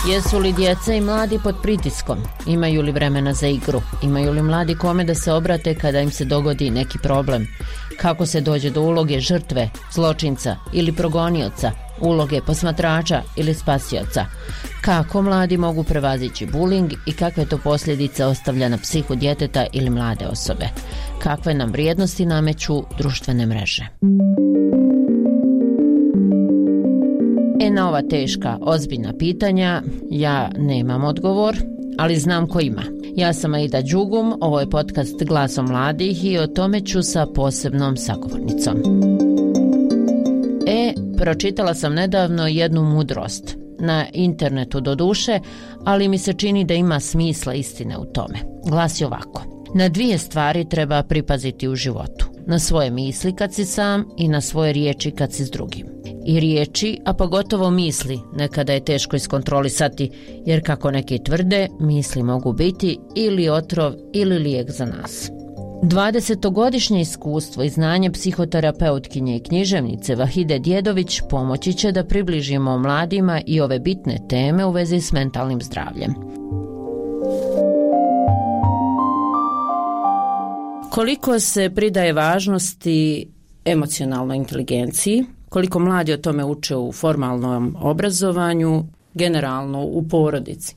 Jesu li djeca i mladi pod pritiskom? Imaju li vremena za igru? Imaju li mladi kome da se obrate kada im se dogodi neki problem? Kako se dođe do uloge žrtve, zločinca ili progonioca, uloge posmatrača ili spasioca? Kako mladi mogu prevazići buling i kakve to posljedice ostavlja na psihu djeteta ili mlade osobe? Kakve nam vrijednosti nameću društvene mreže? Na ova teška, ozbiljna pitanja ja nemam odgovor, ali znam ko ima. Ja sam Aida Đugum, ovo je podcast Glasom mladih i o tome ću sa posebnom sagovornicom. Pročitala sam nedavno jednu mudrost, na internetu doduše, ali mi se čini da ima smisla istine u tome. Glasi ovako: na dvije stvari treba pripaziti u životu. Na svoje misli kad si sam i na svoje riječi kad si s drugim. I riječi, a pogotovo misli, nekada je teško iskontrolisati, jer kako neki tvrde, misli mogu biti ili otrov ili lijek za nas. 20-godišnje iskustvo i znanje psihoterapeutkinje i književnice Vahide Djedović pomoći će da približimo mladima i ove bitne teme u vezi s mentalnim zdravljem. Koliko se pridaje važnosti emocionalnoj inteligenciji, koliko mladi o tome uče u formalnom obrazovanju, generalno u porodici?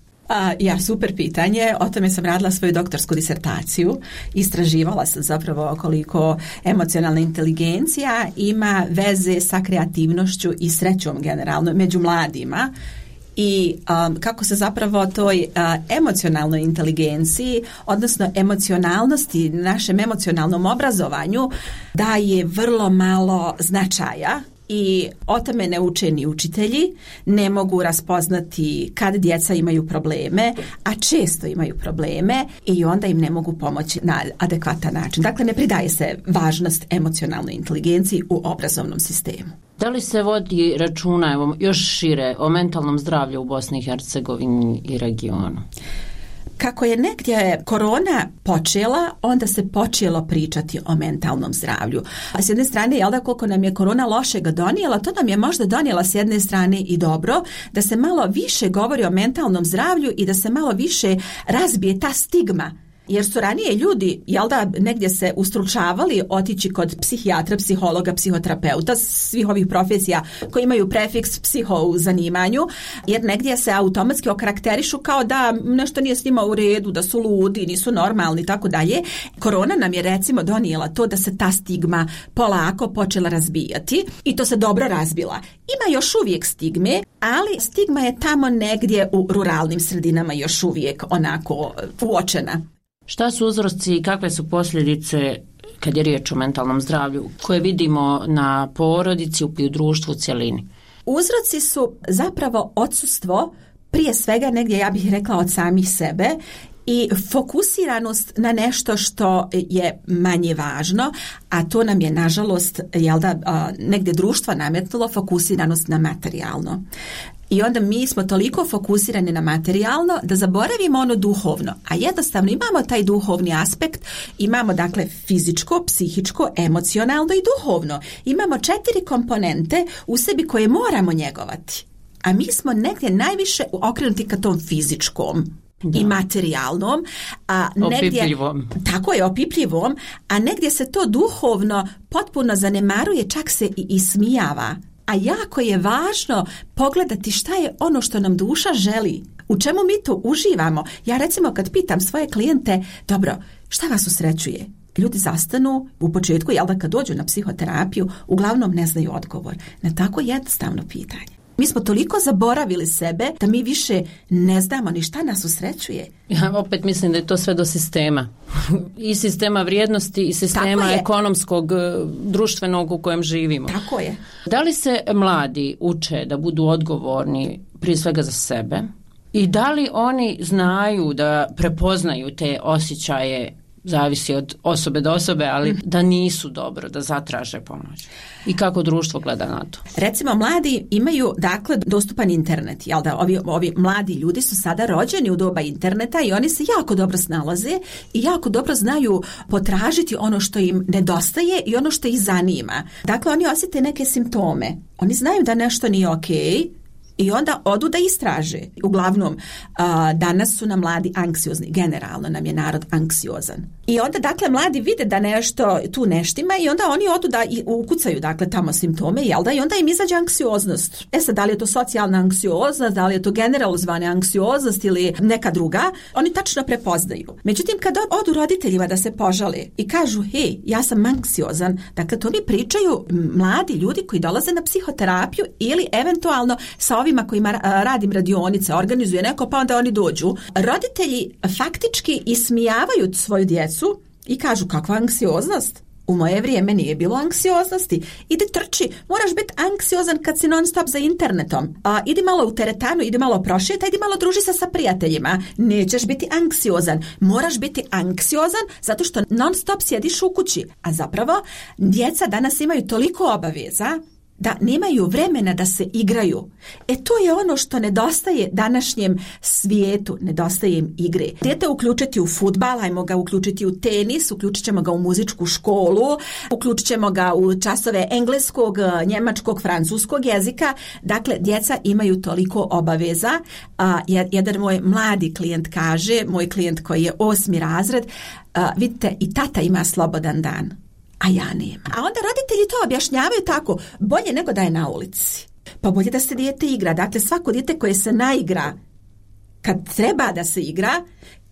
Super pitanje. O tome sam radila svoju doktorsku disertaciju. Istraživala sam zapravo koliko emocionalna inteligencija ima veze sa kreativnošću i srećom generalno među mladima. I kako se zapravo toj emocionalnoj inteligenciji, odnosno emocionalnosti, našem emocionalnom obrazovanju daje vrlo malo značaja. I o tome ne uče ni učitelji, ne mogu raspoznati kad djeca imaju probleme, a često imaju probleme i onda im ne mogu pomoći na adekvatan način. Dakle, ne pridaje se važnost emocionalnoj inteligenciji u obrazovnom sistemu. Da li se vodi računa, evo, još šire, o mentalnom zdravlju u Bosni i Hercegovini i regionu? Kako je negdje korona počela, onda se počelo pričati o mentalnom zdravlju. A s jedne strane, jel da, koliko nam je korona lošega donijela, to nam je možda donijela s jedne strane i dobro, da se malo više govori o mentalnom zdravlju i da se malo više razbije ta stigma. Jer su ranije ljudi, jel da, negdje se ustručavali otići kod psihijatra, psihologa, psihoterapeuta, svih ovih profesija koji imaju prefiks psiho u zanimanju, jer negdje se automatski okarakterišu kao da nešto nije s njima u redu, da su ludi, nisu normalni i tako dalje. Korona nam je recimo donijela to da se ta stigma polako počela razbijati i to se dobro razbila. Ima još uvijek stigme, ali stigma je tamo negdje u ruralnim sredinama još uvijek onako uočena. Šta su uzroci i kakve su posljedice kad je riječ o mentalnom zdravlju koje vidimo na porodici i u društvu u cjelini? Uzroci su zapravo odsustvo, prije svega negdje ja bih rekla od samih sebe, i fokusiranost na nešto što je manje važno, a to nam je nažalost negdje društvo nametnulo, fokusiranost na materijalno. I onda mi smo toliko fokusirani na materijalno da zaboravimo ono duhovno, a jednostavno imamo taj duhovni aspekt, imamo dakle fizičko, psihičko, emocionalno i duhovno. Imamo 4 komponente u sebi koje moramo njegovati, a mi smo negdje najviše okrenuti ka tom fizičkom. Da. I materijalnom, a negdje, opipljivom. Tako je, opipljivom, a negdje se to duhovno potpuno zanemaruje, čak se i ismijava. A jako je važno pogledati šta je ono što nam duša želi, u čemu mi to uživamo. Ja recimo kad pitam svoje klijente, dobro, šta vas usrećuje? Ljudi zastanu u početku, jel da, kad dođu na psihoterapiju, uglavnom ne znaju odgovor na tako jednostavno pitanje. Mi smo toliko zaboravili sebe da mi više ne znamo ni šta nas usrećuje. Ja opet mislim da je to sve do sistema. I sistema vrijednosti i sistema ekonomskog, društvenog u kojem živimo. Tako je. Da li se mladi uče da budu odgovorni prije svega za sebe? I da li oni znaju da prepoznaju te osjećaje, zavisi od osobe do osobe, ali da nisu dobro, da zatraže pomoć? I kako društvo gleda na to? Recimo, mladi imaju, dakle, dostupan internet. Jel da, ovi mladi ljudi su sada rođeni u doba interneta i oni se jako dobro snalaze i jako dobro znaju potražiti ono što im nedostaje i ono što ih zanima. Dakle, oni osjete neke simptome. Oni znaju da nešto nije okej, I onda odu da istraže. Uglavnom, danas su nam mladi anksiozni. Generalno nam je narod anksiozan. I onda, dakle, mladi vide da nešto tu neštima i onda oni odu da ukucaju, dakle, tamo simptome, jel da? I onda im izađe anksioznost. Sad, da li je to socijalna anksioznost, da li je to generalizovana anksioznost ili neka druga, oni tačno prepoznaju. Međutim, kad odu roditeljima da se požale i kažu, hej, ja sam anksiozan, dakle, to mi pričaju mladi ljudi koji dolaze na psihoterapiju ili eventualno sa ovima kojima radim radionice, organizuje neko, pa onda oni dođu. Roditelji faktički ismijavaju svoju djecu i kažu, kakva anksioznost? U moje vrijeme nije bilo anksioznosti. Idi trči, moraš biti anksiozan kad si non stop za internetom. Idi malo u teretanu, idi malo prošeta, idi malo druži se sa prijateljima. Nećeš biti anksiozan. Moraš biti anksiozan zato što non stop sjediš u kući. A zapravo, djeca danas imaju toliko obaveza da nemaju vremena da se igraju. To je ono što nedostaje današnjem svijetu, nedostaje im igre. Dijete uključiti u fudbal, ajmo ga uključiti u tenis, uključit ćemo ga u muzičku školu, uključit ćemo ga u časove engleskog, njemačkog, francuskog jezika. Dakle, djeca imaju toliko obaveza. Jedan moj mladi klijent kaže, moj klijent koji je 8. razred, vidite, i tata ima slobodan dan, a ja nemam. A onda roditelji to objašnjavaju tako, bolje nego da je na ulici. Pa bolje da se dijete igra. Dakle, svako dijete koje se naigra kad treba da se igra,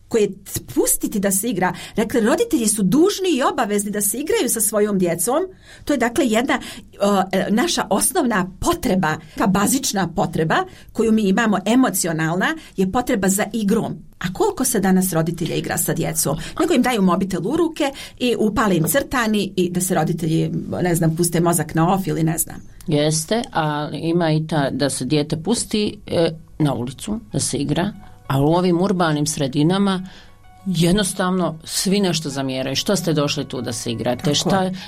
koje pustiti da se igra. Dakle, roditelji su dužni i obavezni da se igraju sa svojom djecom. To je, dakle, jedna naša osnovna potreba, ka bazična potreba koju mi imamo, emocionalna, je potreba za igrom. A koliko se danas roditelja igra sa djecom? Nego im daju mobitel u ruke i upale im crtani i da se roditelji, ne znam, puste mozak na off ili ne znam. Jeste, a ima i ta da se dijete pusti na ulicu, da se igra, a u ovim urbanim sredinama jednostavno svi nešto zamjeraju. Što ste došli tu da se igrate?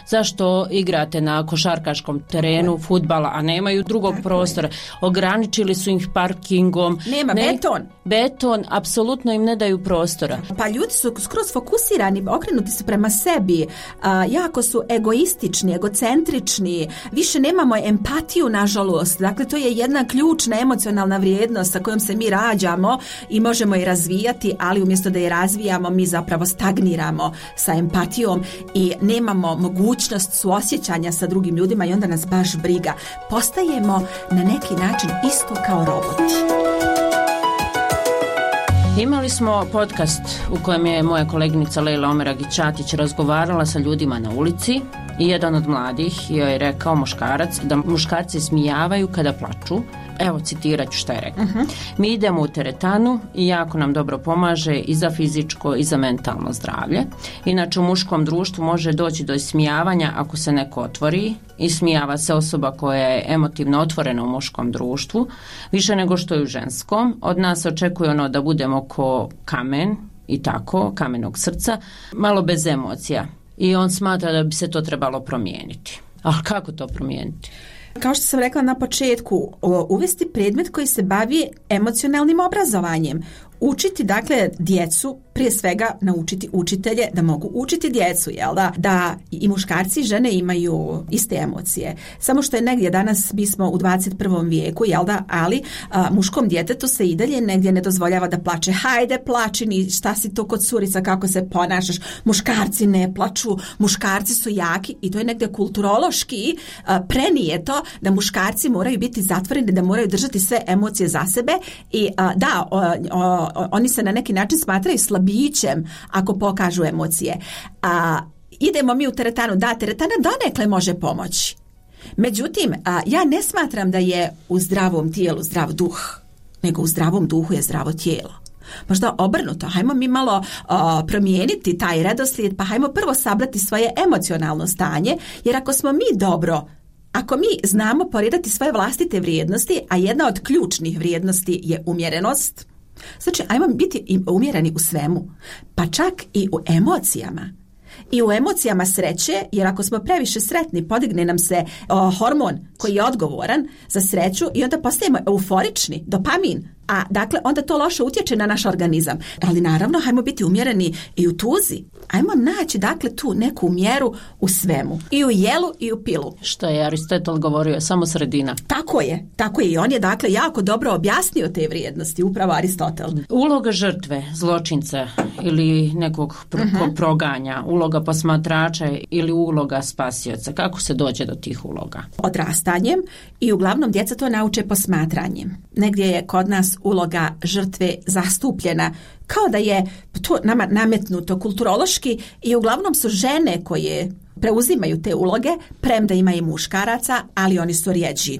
Zašto igrate na košarkaškom terenu fudbala, a nemaju drugog prostora? Ograničili su ih parkingom. Nema beton, apsolutno im ne daju prostora. Pa ljudi su skroz fokusirani, okrenuti su prema sebi, jako su egoistični, egocentrični, više nemamo empatiju, nažalost. Dakle, to je jedna ključna emocionalna vrijednost sa kojom se mi rađamo i možemo je razvijati, ali umjesto da je razvijamo, mi zapravo stagniramo sa empatijom i nemamo mogućnost suosjećanja sa drugim ljudima i onda nas baš briga. Postajemo na neki način isto kao roboti. Imali smo podcast u kojem je moja koleginica Lejla Omeragić-Čatić razgovarala sa ljudima na ulici i jedan od mladih joj je rekao, muškarac, da muškarci smijavaju kada plaču. Evo, citirat ću šta je rekao. Mi idemo u teretanu i jako nam dobro pomaže i za fizičko i za mentalno zdravlje. Inače, u muškom društvu može doći do ismijavanja ako se neko otvori. Ismijava se osoba koja je emotivno otvorena u muškom društvu, više nego što je u ženskom. Od nas očekuje ono da budemo ko kamen i tako, kamenog srca, malo bez emocija. I on smatra da bi se to trebalo promijeniti. A kako to promijeniti? Kao što sam rekla na početku, uvesti predmet koji se bavi emocionalnim obrazovanjem. Učiti, dakle, djecu, prije svega naučiti učitelje da mogu učiti djecu, jel da? Da i muškarci i žene imaju iste emocije. Samo što je negdje danas, mi smo u 21. vijeku, jel da? Ali muškom djetetu se i dalje negdje ne dozvoljava da plače. Hajde, plači, ni šta si to kod curica, kako se ponašaš. Muškarci ne plaču, muškarci su jaki i to je negdje kulturološki prenijeto da muškarci moraju biti zatvoreni, da moraju držati sve emocije za sebe i da, oni se na neki način smatraju slabićem ako pokažu emocije. Idemo mi u teretanu, da, teretana donekle može pomoći. Međutim, ja ne smatram da je u zdravom tijelu zdrav duh, nego u zdravom duhu je zdravo tijelo. Možda obrnuto, hajmo mi malo promijeniti taj redoslijed, pa hajmo prvo sabrati svoje emocionalno stanje, jer ako smo mi dobro, ako mi znamo poredati svoje vlastite vrijednosti, a jedna od ključnih vrijednosti je umjerenost, znači ajmo biti umjereni u svemu, pa čak i u emocijama. I u emocijama sreće, jer ako smo previše sretni, podigne nam se hormon koji je odgovoran za sreću i onda postajemo euforični, dopamin. A dakle, onda to loše utječe na naš organizam. Ali naravno, hajmo biti umjereni i u tuzi. Ajmo naći, dakle, tu neku mjeru u svemu. I u jelu i u pilu. Što je Aristotel govorio, samo sredina. Tako je. I on je, dakle, jako dobro objasnio te vrijednosti, upravo Aristotel. Uloga žrtve, zločinca ili nekog proganja, uloga posmatrača ili uloga spasioca. Kako se dođe do tih uloga? Odrastanjem i uglavnom djeca to nauče posmatranjem. Negdje je kod nas uloga žrtve zastupljena kao da je to nama nametnuto kulturološki i uglavnom su žene koje preuzimaju te uloge, premda ima i muškaraca, ali oni su rjeđi.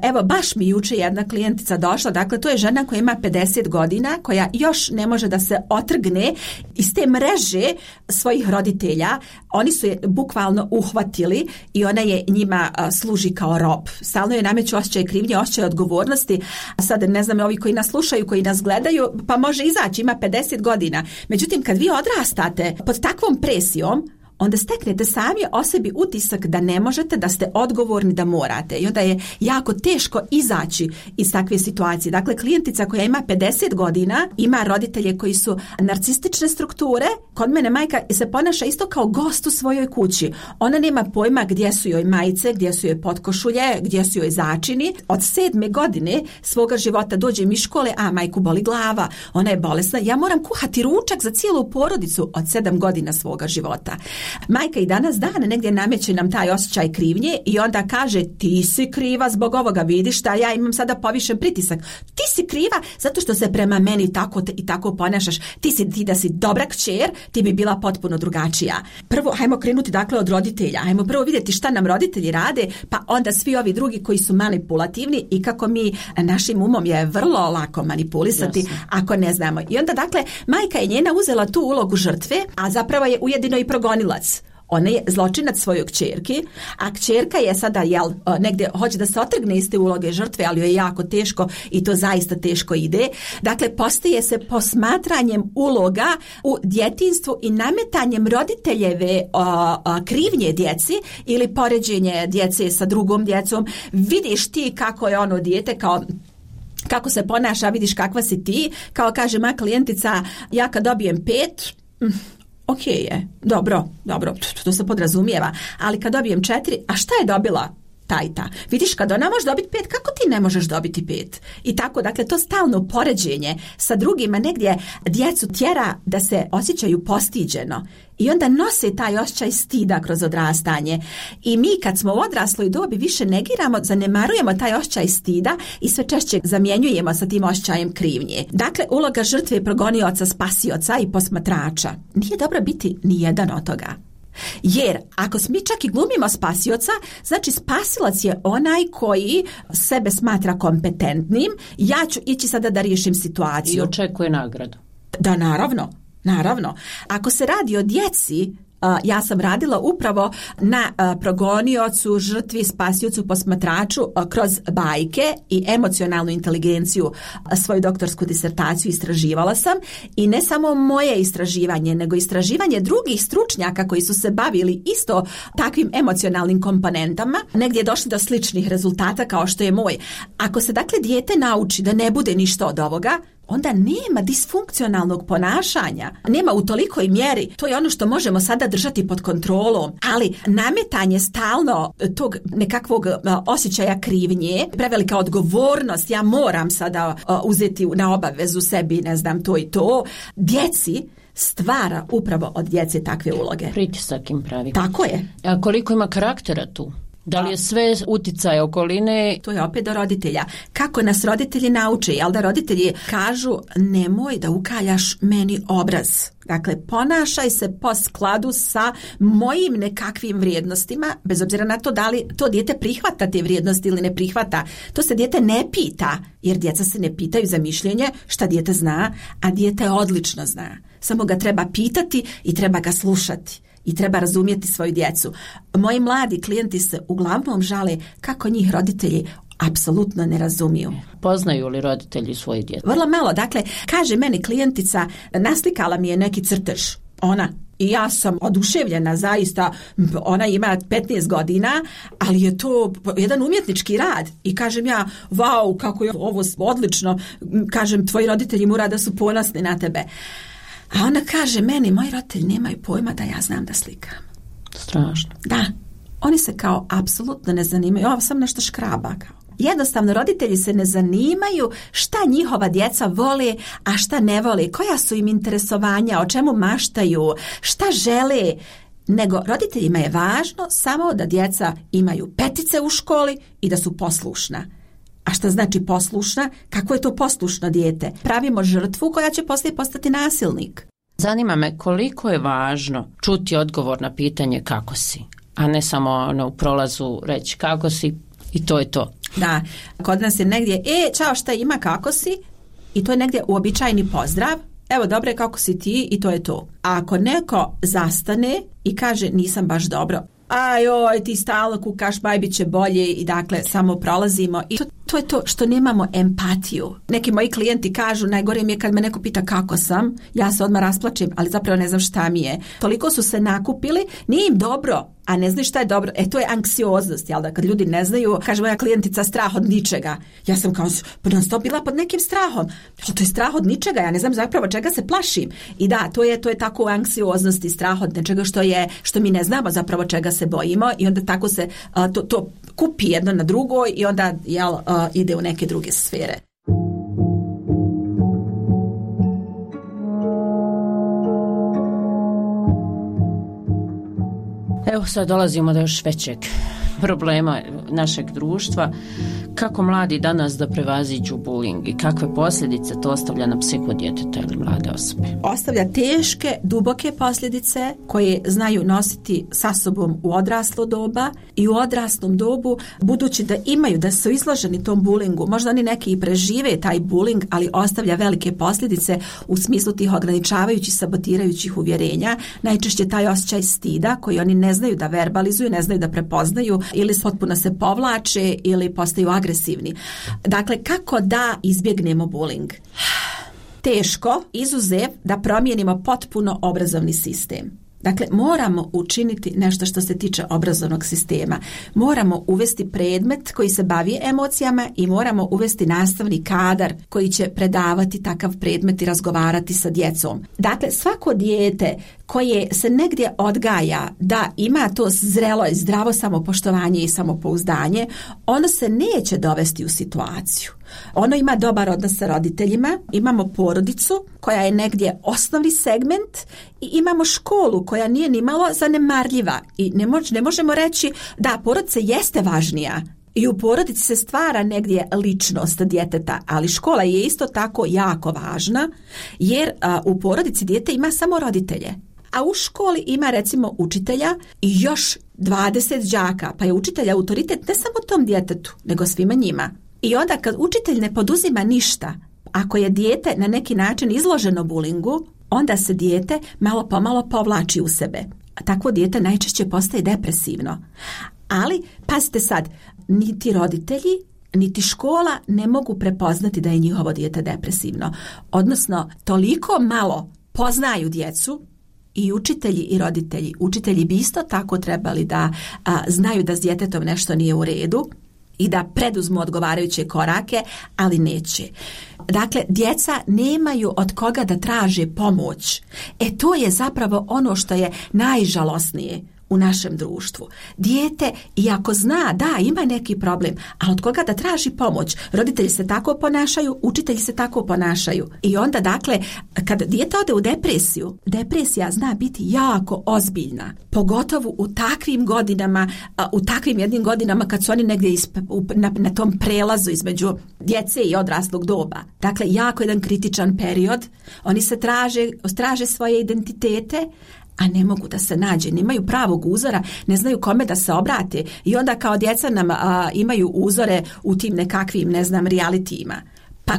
Evo, baš mi juče jedna klijentica došla, dakle to je žena koja ima 50 godina, koja još ne može da se otrgne iz te mreže svojih roditelja. Oni su je bukvalno uhvatili i ona je njima služi kao rob. Stalno je nameću osjećaj krivnje, osjećaj odgovornosti. A sad ne znam, ovi koji nas slušaju, koji nas gledaju, pa može izaći, ima 50 godina. Međutim, kad vi odrastate pod takvom presijom, onda steknete sami o sebi utisak da ne možete, da ste odgovorni, da morate. I onda je jako teško izaći iz takve situacije. Dakle, klijentica koja ima 50 godina, ima roditelje koji su narcistične strukture. Kod mene majka se ponaša isto kao gost u svojoj kući. Ona nema pojma gdje su joj majice, gdje su joj potkošulje, gdje su joj začini. Od 7. godine svoga života dođem iz škole, a majku boli glava, ona je bolesna. Ja moram kuhati ručak za cijelu porodicu od 7 godina svoga života. Majka i danas dana negdje nameće nam taj osjećaj krivnje i onda kaže ti si kriva zbog ovoga, vidiš da ja imam sada povišen pritisak. Ti si kriva zato što se prema meni tako i tako ponašaš. Ti da si dobra kćer, ti bi bila potpuno drugačija. Prvo, hajmo krenuti dakle od roditelja. Hajmo prvo vidjeti šta nam roditelji rade, pa onda svi ovi drugi koji su manipulativni i kako mi našim umom je vrlo lako manipulisati. Jasne. Ako ne znamo. I onda dakle, majka je njena uzela tu ulogu žrtve, a zapravo je ujedino i progonilac. Ona je zločinac svojoj kćerki, a kćerka je sada negdje hoće da se otrgne iz te uloge žrtve, ali joj je jako teško i to zaista teško ide. Dakle, postaje se posmatranjem uloga u djetinjstvu i nametanjem roditeljeve krivnje djeci ili poređenje djece sa drugom djecom. Vidiš ti kako je ono dijete, kako se ponaša, vidiš kakva si ti. Kao kaže moja klijentica, ja kad dobijem 5... Ok je, dobro, to se podrazumijeva, ali kad dobijem 4, a šta je dobila ta? Vidiš, kad ona može dobiti 5, kako ti ne možeš dobiti 5? I tako, dakle, to stalno poređenje sa drugima negdje djecu tjera da se osjećaju postiđeno i onda nose taj osjećaj stida kroz odrastanje. I mi kad smo u odrasloj dobi više negiramo, zanemarujemo taj osjećaj stida i sve češće zamjenjujemo sa tim osjećajem krivnje. Dakle, uloga žrtve, progonioca, spasioca i posmatrača. Nije dobro biti ni jedan od toga. Jer ako mi čak i glumimo spasioca, znači spasilac je onaj koji sebe smatra kompetentnim, ja ću ići sada da riješim situaciju. I očekuje nagradu. Da, naravno. Ako se radi o djeci, ja sam radila upravo na progoniocu, žrtvi, spasiocu, posmatraču kroz bajke i emocionalnu inteligenciju. Svoju doktorsku disertaciju istraživala sam i ne samo moje istraživanje, nego istraživanje drugih stručnjaka koji su se bavili isto takvim emocionalnim komponentama. Negdje je došli do sličnih rezultata kao što je moj. Ako se dakle dijete nauči da ne bude ništa od ovoga, onda nema disfunkcionalnog ponašanja. Nema u tolikoj mjeri. To je ono što možemo sada držati pod kontrolom. Ali nametanje stalno tog nekakvog osjećaja krivnje, prevelika odgovornost, ja moram sada uzeti na obavezu sebi, ne znam, to i to, djeci stvara upravo od djece takve uloge. Pritisak im pravi. Tako je. A koliko ima karaktera tu? Da li je sve utjecaj okoline? To je opet do roditelja. Kako nas roditelji nauče? Jel da roditelji kažu nemoj da ukaljaš meni obraz. Dakle, ponašaj se po skladu sa mojim nekakvim vrijednostima, bez obzira na to da li to dijete prihvata te vrijednosti ili ne prihvata. To se dijete ne pita, jer djeca se ne pitaju za mišljenje šta dijete zna, a dijete odlično zna. Samo ga treba pitati i treba ga slušati. I treba razumjeti svoju djecu. Moji mladi klijenti se uglavnom žale kako njih roditelji apsolutno ne razumiju. Poznaju li roditelji svoje djece? Vrlo malo. Dakle, kaže meni klijentica, naslikala mi je neki crtež. Ona. I ja sam oduševljena, zaista, ona ima 15 godina, ali je to jedan umjetnički rad. I kažem ja, vau, kako je ovo odlično, kažem, tvoji roditelji mora da su ponosni na tebe. A ona kaže meni, moji roditelji nemaju pojma da ja znam da slikam. Strašno. Da, oni se kao apsolutno ne zanimaju, ovo sam nešto škraba kao. Jednostavno, roditelji se ne zanimaju šta njihova djeca vole, a šta ne vole, koja su im interesovanja, o čemu maštaju, šta žele, nego roditeljima je važno samo da djeca imaju 5 u školi i da su poslušna. A šta znači poslušna? Kako je to poslušno dijete? Pravimo žrtvu koja će poslije postati nasilnik. Zanima me koliko je važno čuti odgovor na pitanje kako si, a ne samo u prolazu reći kako si i to je to. Da, kod nas je negdje, čao, šta ima, kako si? I to je negdje uobičajeni pozdrav. Evo, dobre, kako si ti? I to je to. A ako neko zastane i kaže nisam baš dobro, ajoj, ti stalno kukaš, bit će bolje i dakle samo prolazimo. I to je to što nemamo empatiju. Neki moji klijenti kažu, najgore mi je kad me neko pita kako sam, ja se odmah rasplačem, ali zapravo ne znam šta mi je. Toliko su se nakupili, nije im dobro, a ne znaju šta je dobro. To je anksioznost, jel da, kad ljudi ne znaju, kaže moja klijentica, strah od ničega. Ja sam kao non stop bila pod nekim strahom. To je strah od ničega, ja ne znam zapravo čega se plašim. I da, to je tako anksioznost i strah od nečega što mi ne znamo zapravo čega se bojimo i onda tako se to kupi jedno na drugo i onda ide u neke druge sfere. Evo sad dolazimo do još većeg problema našeg društva. Kako mladi danas da prevaziđu bullying i kakve posljedice to ostavlja na psihu djeteta ili mlade osobe? Ostavlja teške, duboke posljedice koje znaju nositi sa sobom u odraslo doba i u odraslom dobu, budući da su izloženi tom bullyingu. Možda oni neki i prežive taj bullying, ali ostavlja velike posljedice u smislu tih ograničavajućih, sabotirajućih uvjerenja. Najčešće taj osjećaj stida koji oni ne znaju da verbalizuju, ne znaju da prepoznaju ili potpuno se povlače ili postaju agresivni. Dakle, kako da izbjegnemo bullying? Teško, izuzev da promijenimo potpuno obrazovni sistem. Dakle, moramo učiniti nešto što se tiče obrazovnog sistema. Moramo uvesti predmet koji se bavi emocijama i moramo uvesti nastavni kadar koji će predavati takav predmet i razgovarati sa djecom. Dakle, svako dijete koje se negdje odgaja da ima to zrelo i zdravo samopoštovanje i samopouzdanje, ono se neće dovesti u situaciju. Ono ima dobar odnos sa roditeljima, imamo porodicu koja je negdje osnovni segment i imamo školu koja nije nimalo zanemarljiva i ne možemo reći da porodica jeste važnija. I u porodici se stvara negdje ličnost djeteta, ali škola je isto tako jako važna jer u porodici dijete ima samo roditelje. A u školi ima recimo učitelja i još 20 đaka, pa je učitelj autoritet ne samo tom djetetu, nego svima njima. I onda kad učitelj ne poduzima ništa, ako je dijete na neki način izloženo bulingu, onda se dijete malo pomalo povlači u sebe. A takvo dijete najčešće postaje depresivno. Ali, pazite sad, niti roditelji, niti škola ne mogu prepoznati da je njihovo dijete depresivno. Odnosno, toliko malo poznaju djecu i učitelji i roditelji. Učitelji bi isto tako trebali da znaju da s djetetom nešto nije u redu i da preduzmu odgovarajuće korake, ali neće. Dakle, djeca nemaju od koga da traže pomoć. To je zapravo ono što je najžalosnije u našem društvu. Dijete, iako zna da ima neki problem, ali od koga da traži pomoć? Roditelji se tako ponašaju, učitelji se tako ponašaju. I onda, dakle, kad dijete ode u depresiju, depresija zna biti jako ozbiljna. Pogotovo u takvim godinama, u takvim jednim godinama kad su oni negdje na tom prelazu između djece i odraslog doba. Dakle, jako jedan kritičan period. Oni se traže svoje identitete, a ne mogu da se nađe, nemaju pravog uzora, ne znaju kome da se obrate i onda kao djeca nam imaju uzore u tim nekakvim, ne znam, realitijima. Pa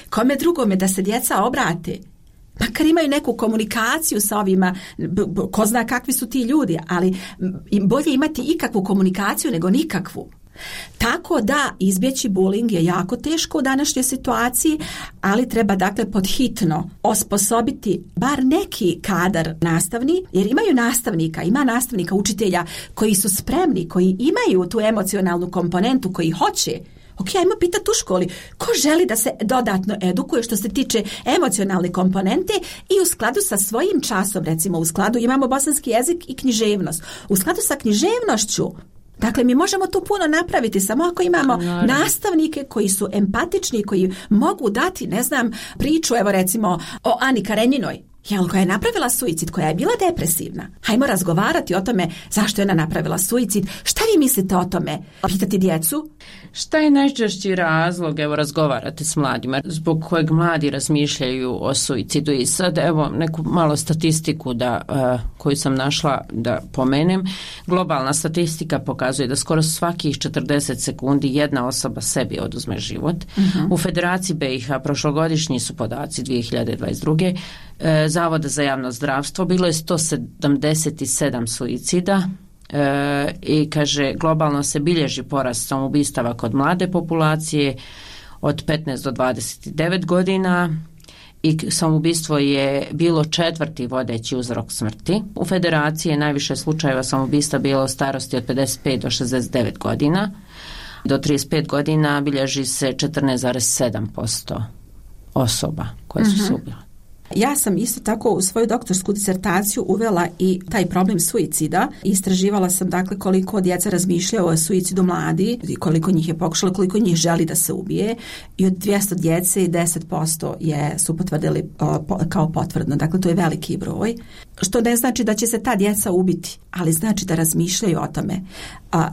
kome drugome da se djeca obrate? Makar imaju neku komunikaciju sa ovima, ko zna kakvi su ti ljudi, ali bolje imati ikakvu komunikaciju nego nikakvu. Tako da izbjeći bullying je jako teško u današnjoj situaciji, ali treba dakle podhitno osposobiti bar neki kadar nastavni, jer imaju nastavnika, ima nastavnika, učitelja koji su spremni, koji imaju tu emocionalnu komponentu, koji hoće. Ok, ajmo pitati u školi ko želi da se dodatno edukuje što se tiče emocionalne komponente i u skladu sa svojim časom, recimo u skladu imamo bosanski jezik i književnost. U skladu sa književnošću, dakle mi možemo tu puno napraviti samo ako imamo nastavnike koji su empatični, koji mogu dati, ne znam, priču, evo recimo o Ani Karenjinoj, koja je napravila suicid, koja je bila depresivna. Hajmo razgovarati o tome zašto je ona napravila suicid. Šta vi mislite o tome? Pitati djecu? Šta je najčešći razlog, evo razgovarate s mladima, zbog kojeg mladi razmišljaju o suicidu? I sad evo neku malo statistiku koju sam našla da pomenem. Globalna statistika pokazuje da skoro svakih 40 sekundi jedna osoba sebi oduzme život. U Federaciji BiH prošlogodišnji su podaci 2022. Zavoda za javno zdravstvo bilo je 177 suicida i kaže globalno se bilježi porast samoubistava kod mlade populacije od 15 do 29 godina i samoubistvo je bilo 4. vodeći uzrok smrti. U Federaciji je najviše slučajeva samoubistva bilo u starosti od 55 do 69 godina. Do 35 godina bilježi se 14,7% osoba koje su se ubile. Ja sam isto tako u svoju doktorsku disertaciju uvela i taj problem suicida. Istraživala sam dakle koliko djeca razmišljaju o suicidu mladi, koliko njih je pokušalo, koliko njih želi da se ubije i od 200 djece 10% su potvrdili kao potvrdno. Dakle, to je veliki broj. Što ne znači da će se ta djeca ubiti, ali znači da razmišljaju o tome.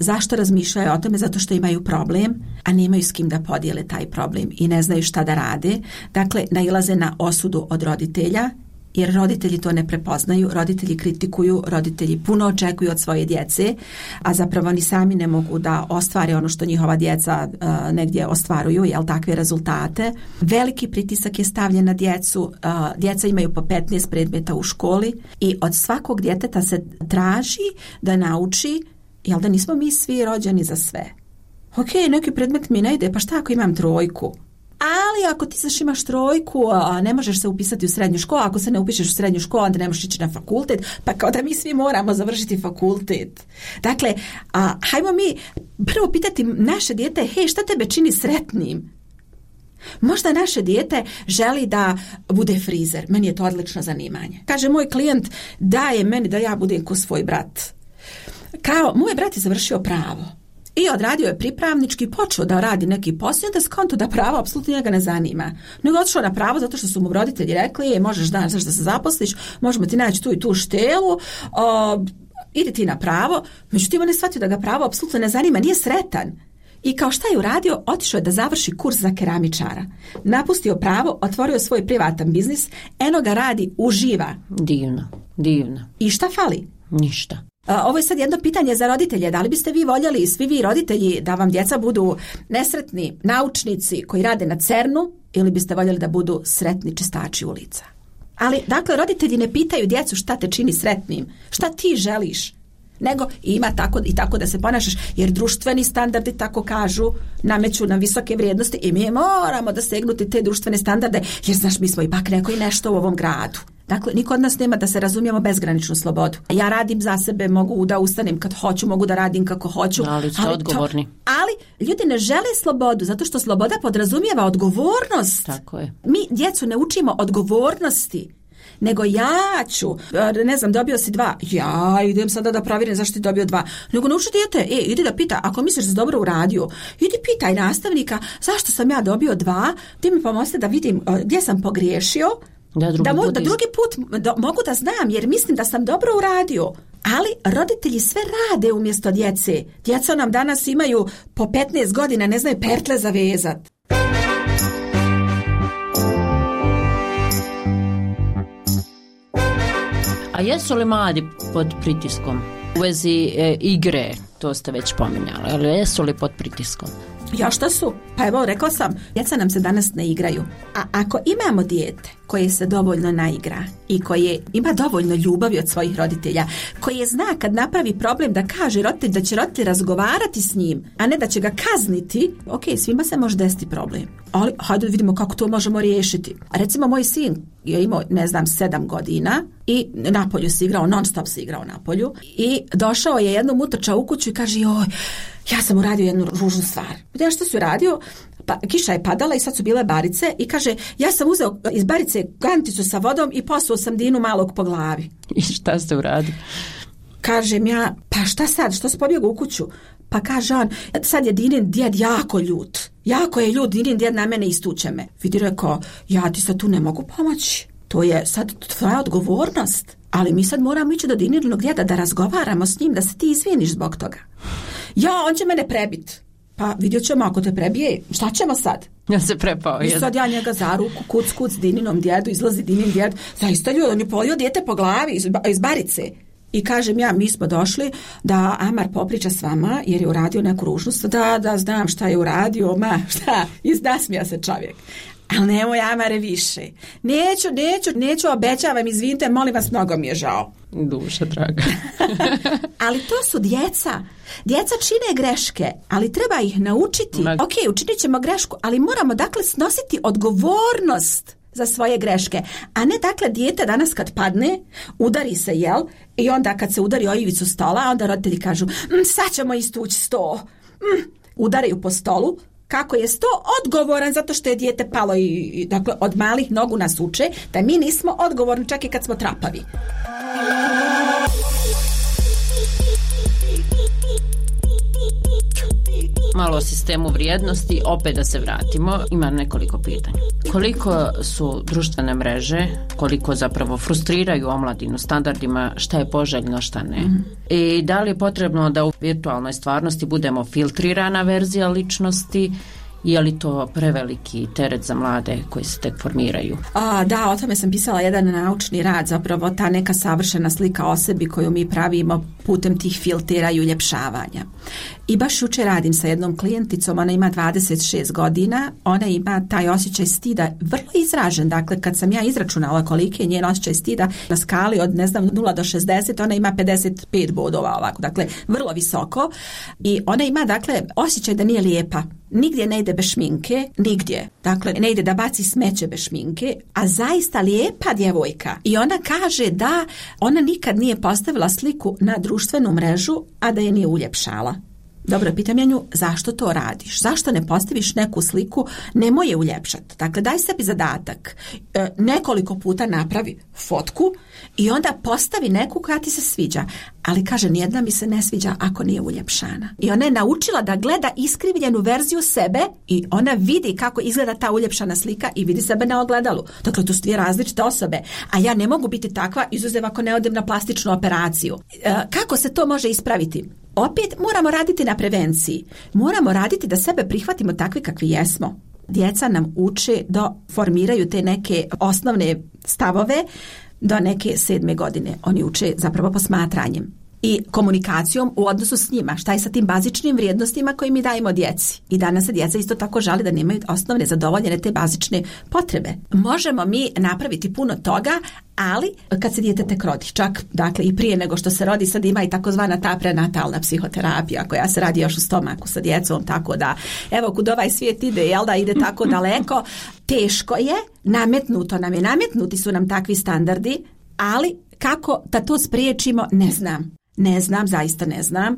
Zašto razmišljaju o tome? Zato što imaju problem, a nemaju s kim da podijele taj problem i ne znaju šta da rade. Dakle, nailaze na osudu od roditelja, jer roditelji to ne prepoznaju, roditelji kritikuju, roditelji puno očekuju od svoje djece, a zapravo ni sami ne mogu da ostvare ono što njihova djeca negdje ostvaruju, takve rezultate. Veliki pritisak je stavljen na djecu, djeca imaju po 15 predmeta u školi i od svakog djeteta se traži da nauči, da nismo mi svi rođeni za sve. Ok, neki predmet mi ne ide, pa šta ako imam 3? Ali ako ti znaš imaš 3, ne možeš se upisati u srednju školu, ako se ne upišeš u srednju školu, onda ne možeš ići na fakultet, pa kao da mi svi moramo završiti fakultet. Dakle, hajmo mi prvo pitati naše dijete, hej, šta tebe čini sretnim? Možda naše dijete želi da bude frizer, meni je to odlično zanimanje. Kaže moj klijent, daje meni da ja budem ko svoj brat. Kao, moj brat je završio pravo. I odradio je pripravnički, počeo da radi neki posao, da skonto da pravo apsolutno njega ne zanima. Nego otišao na pravo zato što su mu roditelji rekli, možeš danas da se zaposliš, možemo ti naći tu i tu štelu, idi ti na pravo. Međutim, on je shvatio da ga pravo apsolutno ne zanima, nije sretan. I kao šta je uradio? Otišao je da završi kurs za keramičara. Napustio pravo, otvorio svoj privatan biznis, eno ga radi, uživa. Divno. I šta fali? Ništa. Ovo je sad jedno pitanje za roditelje. Da li biste vi voljeli, svi vi roditelji, da vam djeca budu nesretni naučnici koji rade na CERN-u ili biste voljeli da budu sretni čistači ulica? Ali, dakle, roditelji ne pitaju djecu šta te čini sretnim, šta ti želiš, nego ima tako da se ponašaš, jer društveni standardi tako kažu, nameću nam visoke vrijednosti i mi moramo da segnuti te društvene standarde, jer znaš, mi smo ipak neko i nešto u ovom gradu. Dakle, niko od nas nema, da se razumijemo, bezgraničnu slobodu. Ja radim za sebe, mogu da ustanem kad hoću, mogu da radim kako hoću. Ali ste odgovorni. Ali ljudi ne žele slobodu, zato što sloboda podrazumijeva odgovornost. Tako je. Mi djecu ne učimo odgovornosti, nego ja ću, ne znam, dobio si 2, ja idem sada da provjerim zašto ti dobio 2. Nego nauči dijete, idi da pita, ako misliš da si dobro uradio, idi pitaj nastavnika zašto sam ja dobio 2, ti mi pomozi da vidim gdje sam pogriješio, da drugi put mogu da znam, jer mislim da sam dobro uradio. Ali roditelji sve rade umjesto djece. Djeca nam danas imaju po 15 godina, ne znaju pertle zavezat. A jesu li mladi pod pritiskom? U vezi igre, to ste već pominjali, ali jesu li pod pritiskom? Ja šta su? Pa evo, rekla sam, djeca nam se danas ne igraju. A ako imamo dijete koje se dovoljno naigra i koje ima dovoljno ljubavi od svojih roditelja, koje zna kad napravi problem da kaže roditelj da će roditelj razgovarati s njim, a ne da će ga kazniti, ok, svima se može desiti problem. Ali hajde vidimo kako to možemo riješiti. Recimo, moj sin je imao, 7 godina i napolju se igrao, non stop se igrao napolju i došao je jednom, utrčao u kuću i kaže, joj, ja sam uradio jednu ružnu stvar. Ja što si uradio? Pa kiša je padala i sad su bile barice i kaže, ja sam uzeo iz barice kanticu sa vodom i posuo sam Dinu malog po glavi. I šta ste uradili? Kažem ja, pa šta sad, što si pobjegao u kuću? Pa kaže on, sad je Dinin djed jako ljut. Jako je ljut, Dinin djed na mene istuče me. Vidi, rekao, ja ti sad tu ne mogu pomoći. To je sad tvoja odgovornost. Ali mi sad moramo ići do Dininog djeda da razgovaramo s njim, da se ti izviniš zbog toga. Ja, on će mene prebit. Pa vidjet ćemo, ako te prebije, šta ćemo sad? Ja se prepao. I sad ja njega za ruku, kuc Dininom djedu, izlazi Dinin djed. Zaista ljudi, on je polio dijete po glavi iz barice. I kažem ja, mi smo došli da Amar popriča s vama jer je uradio neku ružnost. Da, znam šta je uradio, šta, iznasmija se čovjek. Ali nemoj, Amare, više. Neću, obećavam, izvinite, molim vas, mnogo mi je žao. Duša draga. Ali to su djeca. Djeca čine greške, ali treba ih naučiti. Ok, učinit ćemo grešku, ali moramo dakle snositi odgovornost za svoje greške. A ne dakle dijete danas kad padne, udari se, jel? I onda kad se udari o ivicu stola, onda roditelji kažu, sad ćemo istući sto. Udaraju po stolu. Kako je sto odgovoran zato što je dijete palo i dakle od malih nogu nas uče da mi nismo odgovorni čak i kad smo trapavi. Malo o sistemu vrijednosti, opet da se vratimo, ima nekoliko pitanja. Koliko su društvene mreže, koliko zapravo frustriraju omladinu standardima, šta je poželjno, šta ne? I da li je potrebno da u virtualnoj stvarnosti budemo filtrirana verzija ličnosti, je li to preveliki teret za mlade koji se tek formiraju? Da, o tome sam pisala jedan naučni rad, zapravo ta neka savršena slika o sebi koju mi pravimo putem tih filtera i uljepšavanja. I baš jučer radim sa jednom klijenticom, ona ima 26 godina, ona ima taj osjećaj stida vrlo izražen, dakle kad sam ja izračunala koliki je njen osjećaj stida na skali od 0 do 60, ona ima 55 bodova ovako, dakle vrlo visoko i ona ima dakle osjećaj da nije lijepa. Nigdje ne ide bez šminke, nigdje. Dakle, ne ide da baci smeće bez šminke, a zaista lijepa djevojka. I ona kaže da ona nikad nije postavila sliku na društvenu mrežu, a da je nije uljepšala. Dobro, pitam ja nju, zašto to radiš? Zašto ne postaviš neku sliku, nemoj je uljepšati? Dakle, daj sebi zadatak. Nekoliko puta napravi fotku i onda postavi neku koja ti se sviđa. Ali kaže, nijedna mi se ne sviđa ako nije uljepšana. I ona je naučila da gleda iskrivljenu verziju sebe i ona vidi kako izgleda ta uljepšana slika i vidi sebe na ogledalu. Dakle, to su dvije različite osobe. A ja ne mogu biti takva, izuzev ako ne odem na plastičnu operaciju. Kako se to može ispraviti? Opet moramo raditi na prevenciji. Moramo raditi da sebe prihvatimo takvi kakvi jesmo. Djeca nam uče da formiraju te neke osnovne stavove do neke 7. godine. Oni uče zapravo posmatranjem i komunikacijom u odnosu s njima. Šta je sa tim bazičnim vrijednostima koje mi dajemo djeci? I danas se djeca isto tako žali da nemaju osnovne zadovoljene te bazične potrebe. Možemo mi napraviti puno toga, ali kad se dijete tek rodi, čak dakle i prije nego što se rodi, sad ima i takozvana ta prenatalna psihoterapija koja se radi još u stomaku sa djecom, tako da evo kud ovaj svijet ide, jel da ide tako daleko, teško je, nametnuti su nam takvi standardi, ali kako da to spriječimo, ne znam. Zaista ne znam.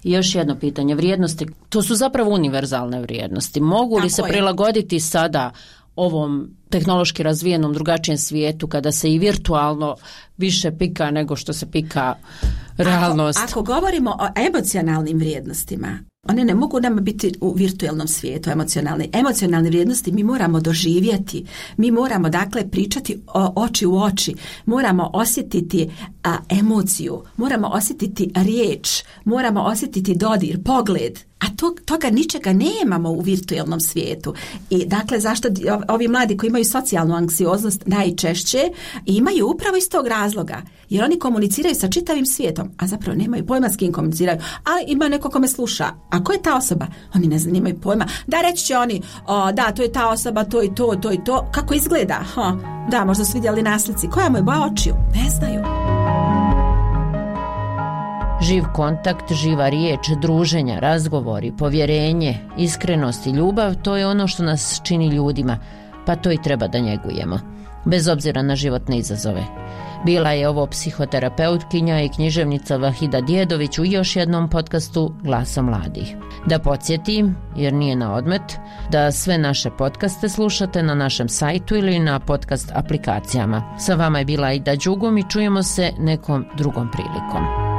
I još jedno pitanje, vrijednosti, to su zapravo univerzalne vrijednosti. Mogu li se prilagoditi sada ovom tehnološki razvijenom drugačijem svijetu kada se i virtualno više pika nego što se pika realnost? Ako govorimo o emocionalnim vrijednostima, one ne mogu nam biti u virtualnom svijetu emocionalne vrijednosti mi moramo doživjeti, mi moramo dakle pričati oči u oči, moramo osjetiti emociju, moramo osjetiti riječ, moramo osjetiti dodir, pogled. a toga ničega nemamo u virtualnom svijetu. I dakle, zašto ovi mladi koji imaju socijalnu anksioznost najčešće imaju upravo iz tog razloga, jer oni komuniciraju sa čitavim svijetom, a zapravo nemaju pojma s kim komuniciraju, a ima neko ko me sluša. A ko je ta osoba? Oni ne znaju, nemaju pojma. Da, reći će oni, da, to je ta osoba, to i to, to i to. Kako izgleda? Da, možda su vidjeli na slici. Koja mu je boja očiju? Ne znaju. Živ kontakt, živa riječ, druženja, razgovori, povjerenje, iskrenost i ljubav, to je ono što nas čini ljudima, pa to i treba da njegujemo, bez obzira na životne izazove. Bila je ovo psihoterapeutkinja i književnica Vahida Djedović u još jednom podcastu Glasa mladih. Da podsjetim, jer nije na odmet, da sve naše podcaste slušate na našem sajtu ili na podcast aplikacijama. Sa vama je bila Aida Đugum i čujemo se nekom drugom prilikom.